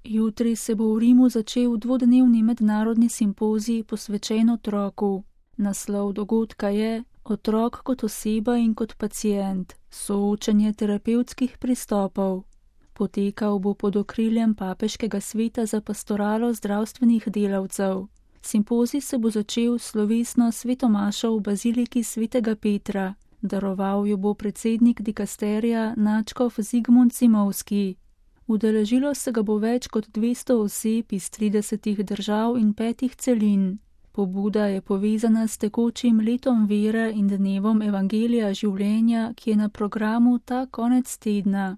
Jutri se bo v Rimu začel dvodnevni mednarodni simpozij posvečen otroku. Naslov dogodka je Otrok kot oseba in kot pacient, soočenje terapevtskih pristopov. Potekal bo pod okriljem Papeškega sveta za pastoralo zdravstvenih delavcev. Simpozij se bo začel slovesno svetomašo v baziliki svetega Petra. Daroval jo bo predsednik dikasterija nadškof Zigmund Zimovski. Udeležilo se ga bo več kot 200 oseb iz 30 držav in 5 celin. Pobuda je povezana s tekočim letom vere in dnevom evangelija življenja, ki je na programu ta konec tedna.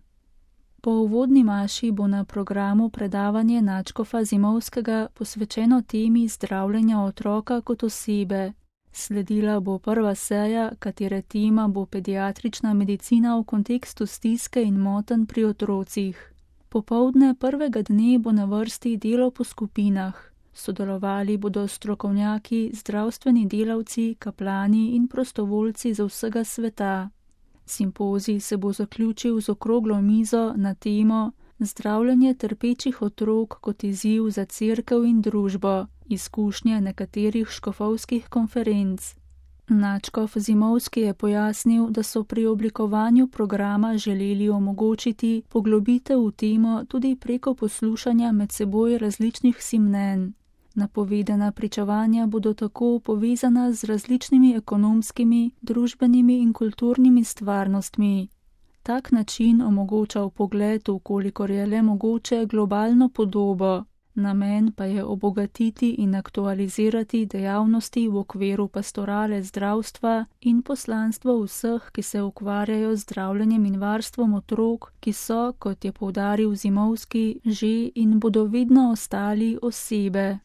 Po uvodni maši bo na programu predavanje nadškofa Zimovskega posvečeno temi zdravljenja otroka kot osebe. Sledila bo prva seja, katere tema bo pediatrična medicina v kontekstu stiske in motenj pri otrocih. Popoldne prvega dne bo na vrsti delo po skupinah. Sodelovali bodo strokovnjaki, zdravstveni delavci, kaplani in prostovoljci za vsega sveta. Simpozij se bo zaključil z okroglo mizo na temo Zdravljenje trpečih otrok kot izziv za cerkev in družbo, izkušnje nekaterih škofovskih konferenc. Nadškof Zimovski je pojasnil, da so pri oblikovanju programa želeli omogočiti poglobitev v temo tudi preko poslušanja med seboj različnih si mnenj. Napovedana pričevanja bodo tako povezana z različnimi ekonomskimi, družbenimi in kulturnimi stvarnostmi. Tak način omogoča vpogled v kolikor je le mogoče globalno podobo. Namen pa je obogatiti in aktualizirati dejavnosti v okviru pastorale zdravstva in poslanstvo vseh, ki se ukvarjajo z zdravljenjem in varstvom otrok, ki so, kot je poudaril Zimovski, že in bodo vedno ostali osebe.